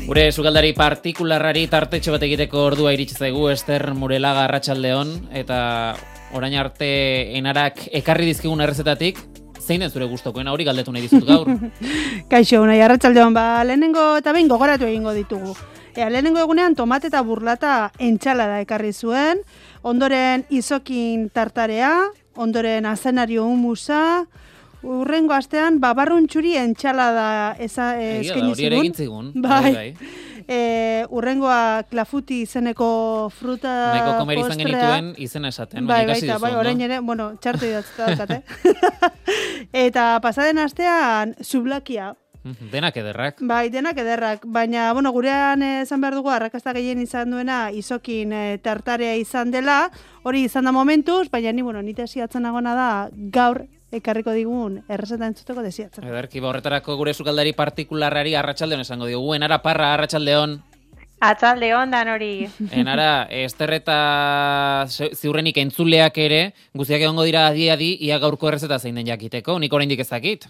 Gure sukaldari partikularrari tartetxo bat egiteko ordua iritsi zaigu, Ester Murelaga, arratsaldeon, eta orain arte enarak ekarri dizkigun errezetatik, zein den zure gustokoena, hori galdetu nahi dizut gaur? Kaixo, nahi arratsaldeon, lehenengo eta behin gogoratu egingo ditugu. Lehenengo egunean tomate eta burlata entxalada ekarri zuen, ondoren izokin tartarea, ondoren azenario humusa, urrengo astean babarruntxuri entxalada eskaini zigun. Hori egin zigun. Bai. Urrengoa klafuti izeneko fruta postrea. Nahiko komeri izan genituen izena esaten. Bai, orain ere, txartu idatzta daukate. Eta pasaden astean sublakia. Denak ederrak. Bai, denak ederrak, baina, gurean esan behar dugu, arrakasta gehien izan duena izokin tartarea izan dela, hori izan da momentuz, baina ni desiatzen nagona da gaur ekarriko digun errezeta entzuteko desiatzen. Ederki, horretarako gure sukaldari partikularrari arratsaldeon esango diogu. Enara Parra, arratsaldeon. Atzaldeon dan hori. Enara, Ester eta ziurrenik entzuleak ere, guztiak egongo dira adi, ia gaurko errezeta zein den jakiteko, nik oraindik ez dakit.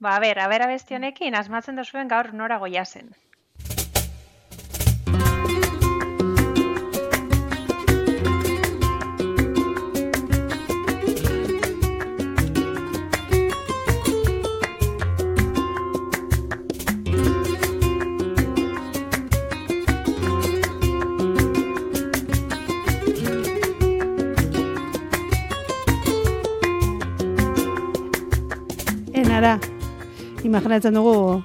Abesti honekin, asmatzen duzuen gaur nora goia zen. Enara, imaginatzen dugu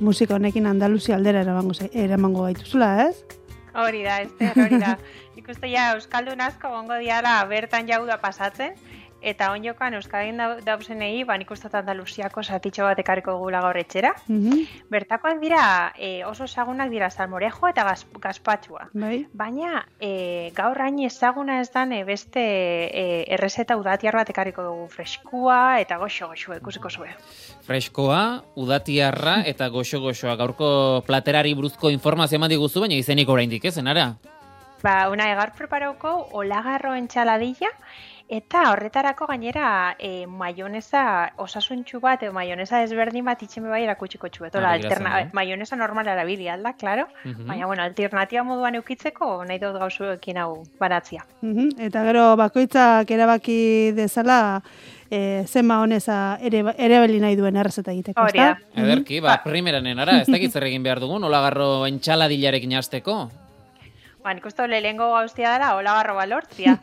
musika honekin Andaluzia aldera eramango gaituzula, ez? Hori da, hori da. Ikuste ja, Euskaldun asko gongo diala bertan jauda pasatzen, eta onjokan Euskaldun dauzenei, nik uste Andaluziako zatitxo bat ekarriko gula gaur etxera. Bertakoak dira, oso ezagunak dira salmorejo eta gazpatxua. Baina, gaur hain ezaguna ez dan beste errezeta udatiar bat ekarriko dugu, freskua eta goxo-goxo, ikusiko zue. Freskoa, udatiarra eta goxo-goxoa. Gaurko platerari buruzko informazio eman diguzu, baina izenik oraindik ez, Enara? Gaur preparauko olagarro entxaladilla, eta horretarako gainera maionesa osasuntxu bat, maionesa desberdin bat itxeme bai erakutsiko txuet. Maionesa normal erabili alda, klaro. Baina, alternatiba moduan eukitzeko, nahi dut gauzuekin hau baratzia. Eta gero bakoitzak erabaki dezala, zen maionesa erabili nahi duen errezeta egiteko. Hori da. Ederki, primeran Enara, ez dakit zer egin behar dugun, olagarro entxaladillarekin hasteko? Nik uste lehengo gauztia dara, olagarroa lortzia.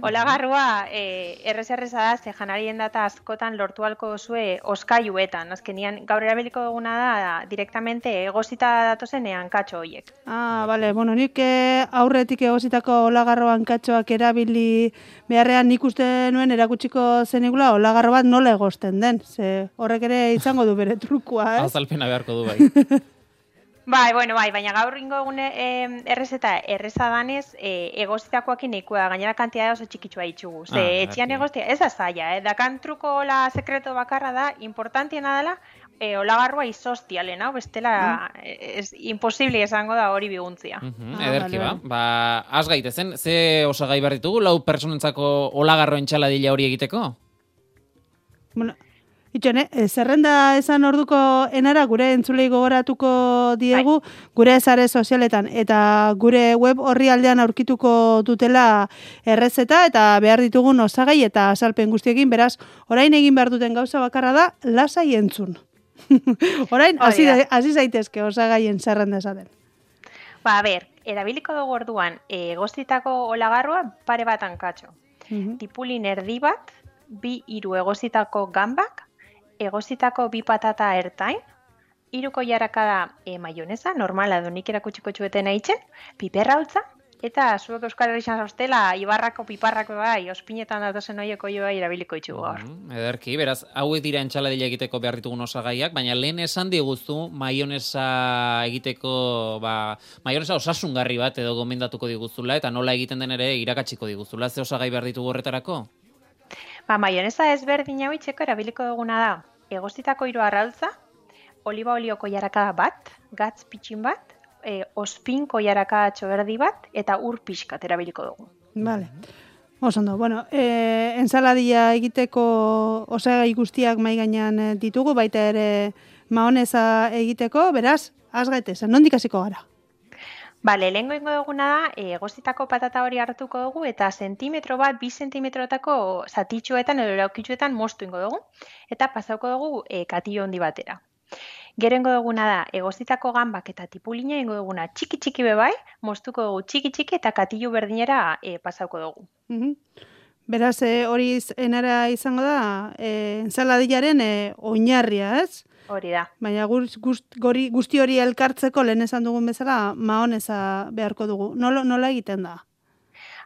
Olagarroa errez-erreza da, ze janarien data askotan lortu halko zue oskaiuetan. Azkenian gaur erabiliko duguna da, direktamente egozita datozen hankatxo horiek. Bale, nik aurretik egozitako olagarro hankatxoak erabili beharrean nik uste nuen erakutsiko zenigula olagarro bat nola egozten den. Ze horrek ere izango du bere trukua, ez? Azalpena beharko du bai. Baina gaur ringo egune errezeta erreza danez, egozitakoakin nahikoa, gainera kantitate oso txikitsua ditugu. Etxian egoztia, ez da zaila, dakan truko la sekreto bakarra da, importantiena dela, olagarroa izostia lehen, bestela imposible esango da hori biguntzia. Ederki az gaitezen, ze osagai behar ditugu, 4 personentzako olagarro entxaladilla hori egiteko? Itxone, zerrenda esan orduko Enara gure entzulei gogoratuko diegu, gure sare sozialetan eta gure web orrialdean aurkituko dutela errezeta eta behar ditugun osagai eta azalpen guztiekin, beraz, orain egin behar duten gauza bakarra da, lasai entzun. Orain, hasi zaitezke osagaien zerrenda esaten. Erabiliko dugu orduan, egozitako olagarroa pare bat hankatxo. Tipulin erdi bat, 2-3 egozitako gambak, egozitako 2 patata ertain, 3 koilarakada maionesa, normala nik erakutsiko txueten aitzen, piperra holtza, eta zuek Euskal Herrian zauztela, Ibarrako piparrako bai, ospinetan datozen horiek oio bai erabiliko itxugu gaur. Ederki, beraz, hauek dira entxaladilla egiteko behar ditugun osagaiak, baina lehen esan diguzu maionesa egiteko, maionesa osasungarri bat edo gomendatuko diguzula, eta nola egiten den ere irakatsiko diguzula, ze osagai behar ditugu horretarako? Maionesa ezberdin hau itxeko erabiliko duguna da, egozitako 3 arrautza, oliba olio koilarakada bat, gatz pitxin bat, ospin koilarakada txoberdi bat, eta ur pixkat erabiliko dugu. Vale. Osondo, ensaladilla egiteko osagai guztiak mahai gainean ditugu, baita ere maonesa egiteko, beraz, Az gaitezen, nondik hasiko gara? Bale, lehengo ingo duguna da, egozitako patata hori hartuko dugu, eta zentimetro bat, 2 zentimetrotako zatitxoetan edo laukitxoetan moztu ingo dugu, eta pasauko dugu katillo handi batera. Gero ingo duguna da, egozitako gambak eta tipulina ingo duguna txiki-txiki bebai, moztuko dugu txiki-txiki eta katillo berdinera pasauko dugu. Beraz, hori enara izango da, ensaladillaren oinarria, ez? Hori da. Baina guzti hori elkartzeko lehen esan dugun bezala, maonesa beharko dugu. Nola egiten da?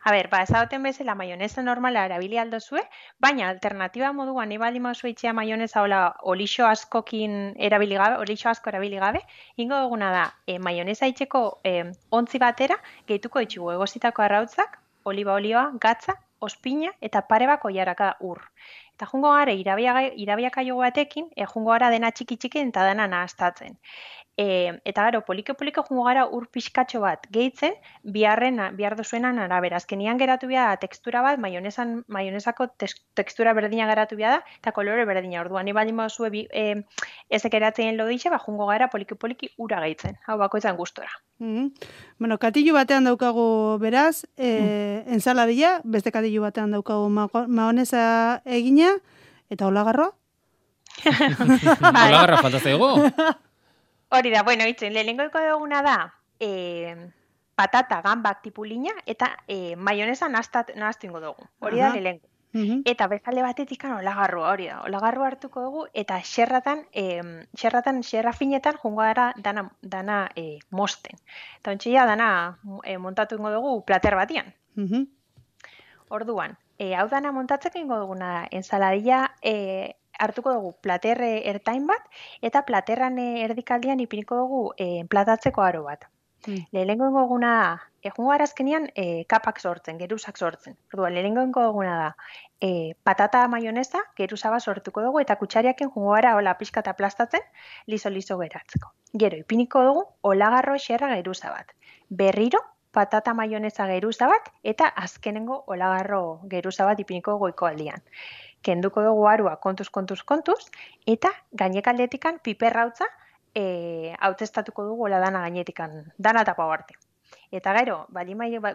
A ber, ezagoten bezala maionesa normala erabili aldozue, baina alternatiba moduan ibali mauzue itxea maionesa olixo asko erabili gabe, ingo duguna da, maionesa itxeko ontzi batera, gehituko ditugu egozitako arrautzak, oliba olioa, gatza, ospina eta pare bako jaraka ur. Eta jungo gara irabiakaio batekin, jungo gara dena txiki-txiki eta dena nahaztatzen. Eta gero, polike-polike jungo gara ur pixkatxo bat gehitzen, bihar dozuenan arabera. Azkenian geratu bia da tekstura bat, maionesako tekstura berdina geratu bia da, eta kolore berdina. Orduan, ni baldin baduzue ezek eratzen lodixe, jungo gara poliki-poliki ura gehitzen. Hau bakoitzan gustora. Bueno, katillo batean daukagu beraz, ensaladilla, beste katillo batean daukagu maonesa egina, eta olagarroa? Olagarroa falta zaigu? Hori da, bueno, itzen, lehenengoiko duguna da, patata, gambak tipulina, eta maionesa nahaztu ingo dugu. Hori da, lehenengo. Eta bezale batetik olagarroa, hori da. Olagarroa hartuko dugu, eta xerra finetan jungo gara dana mosten. Eta ontsia dana montatu ingo dugu plater batian. Orduan, hau dana montatzeko ingo duguna da, ensaladilla hartuko dugu plater ertain bat, eta platerran erdikaldian ipiniko dugu platatzeko aro bat. Lehenengo duguna da, jungo arazkenian kapak sortzen, geruzak sortzen. Orduan, lehenengo duguna da, patata maionesa, geruza bat sortuko dugu, eta kutsariaken jungo gara hola pixka eta aplastatzen, liso geratzeko. Gero, ipiniko dugu, olagarro xerra geruza bat. Berriro, patata maionesa geruza bat, eta azkenengo olagarro geruza bat ipiniko goiko aldian. Kenduko dugu arua kontuz, eta gainekaldetikan piperrautza hautestatuko dugu hola dana gainetikan, dana eta pau arte. Eta gero,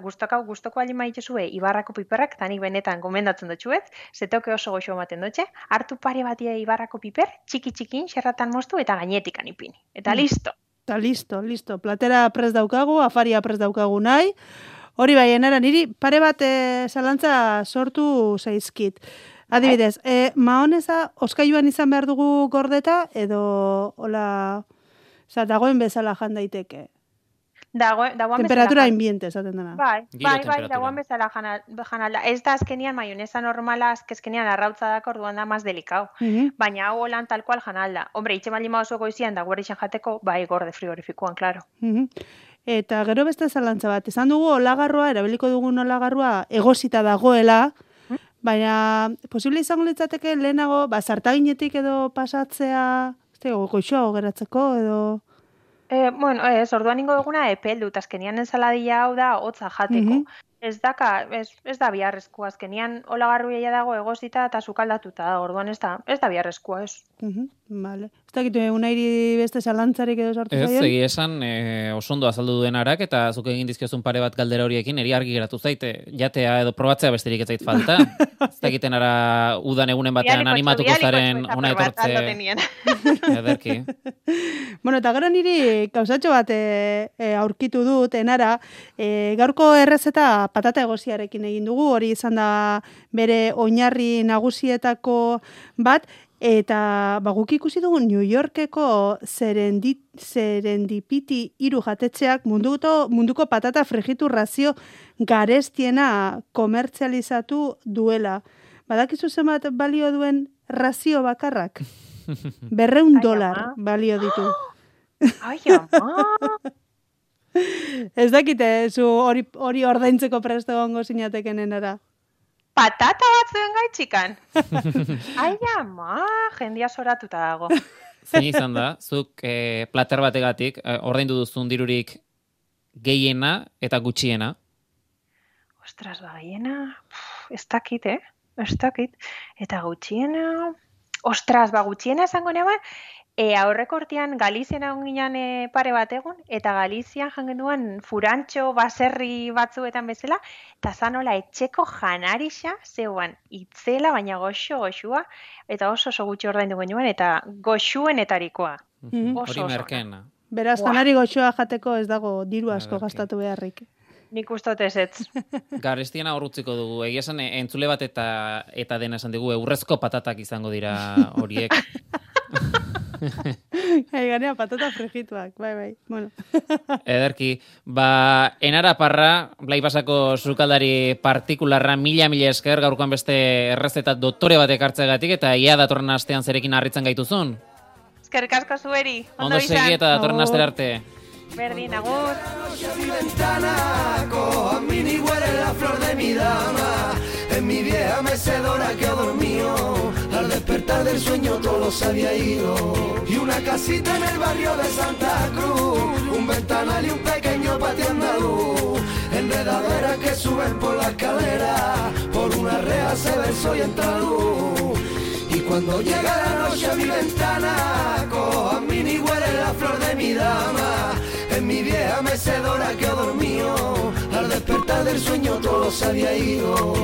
gustoko bali maitezue Ibarrako piperrak, tanik benetan gomendatzen dutxuet, zetoke oso goxo ematen dutxe, hartu pare batia Ibarrako piper, txiki-txikin, xerratan moztu eta gainetikan ipini. Eta listo. Eta listo. Platera prest daukagu, afaria prest daukagu nahi. Hori bai, enara, niri pare bat zalantza sortu zaizkit. Adibidez, maonesa oskailuan izan behar dugu gordeta, edo hola, dagoen bezala jan daiteke. Temperatura ambiente esaten dena. Bai, dagoen bezala janala. Ez da azkenian maionesa normala, azkenian arrautza dako orduan da maz delikau. Baina hau holan tal cual janalda. Hombre, itxe bali maoso goizian da guarixan jateko, bai gorde frigorifikuan, klaro. Eta gero beste zalantza bat, esan dugu olagarroa, erabiliko dugun olagarroa egosita dagoela, baina posible izango litzateke lehenago, zartaginetik edo pasatzea, goixoago geratzeko edo... Bueno, orduan ingo duguna epeldut, azkenian ensaladilla hau da hotza jateko. Ez da biharrezkoa, azkenian olagarruia dago egozita eta sukaldatuta da, orduan ez da biharrezkoa, ez. Vale. Ez dakitu egunairi beste zalantzarik edo sartu zaion? Ez, egi esan osondo azaldu duen arak, eta zuk egin dizkiozun pare bat galdera horiekin, eri argi geratu zaite, jatea edo probatzea besterik ez zait falta. Ez dakiten ara udan egunen batean animatuko zaren ona etortze. Ederki. Bueno, eta gero niri gauzatxo bat aurkitu dut, enara, gaurko errezeta patata egoziarekin egin dugu, hori izan da bere oinarri nagusietako bat, eta guk ikusi dugu New Yorkeko Serendipity 3 jatetxeak munduko patata frijitu razio garestiena komertzializatu duela. Badakizu zenbat balio duen razio bakarrak? $200 balio ditu. Ai, ama! Ez dakite, zu hori ordaintzeko presto gongo zinateken enara. Patata bat zuen gaitxikan. Ai, ama, jendia soratuta dago. Zein izan da, zuk plater bategatik ordaindu duzun dirurik gehiena eta gutxiena? Ostras, gehiena, ez dakit, Ez dakit. Eta gutxiena... Ostras, gutxiena esango neban, Aurreko urtean Galizian egon ginen pare bat egun, eta Galizian jangen duen furantxo baserri batzuetan bezala, eta zanola etxeko janarixa zeuan itzela, baina goxua, eta oso gutxi ordaindu genuen, eta goxuenetarikoa. Hori merkena. Beraz, janari goxoa jateko ez dago diru asko gastatu beharrik. Nik ustot ez. Garestiena horrutziko dugu. Egia esan, entzule bat eta dena esan dugu, urrezko patatak izango dira horiek. Ganea patata frijituak, bai. Bueno. Ederki, Enara Parra, Blai Basako sukaldari partikularra, mila esker, gaurkoan beste errezeta doktore bat ekartzegatik, eta ia datorren astean zerekin harritzen gaituzun. Eskerrik asko zueri. Ondo segi eta datorren astera arte. Berdin, agur. Mi ventana, cojo a mini huele la flor de mi dama. En mi vieja mecedora que ha dormido. Al despertar del sueño todo se había ido. Y una casita en el barrio de Santa Cruz. Un ventanal y un pequeño patio andaluz. Enredaderas que suben por la escalera. Por una reja se ve el sol y entra luz. Y cuando llega la noche a mi ventana, cojo a mini huele la flor de mi dama. En mi vieja mecedora que ha dormido. Al despertar del sueño todo se había ido.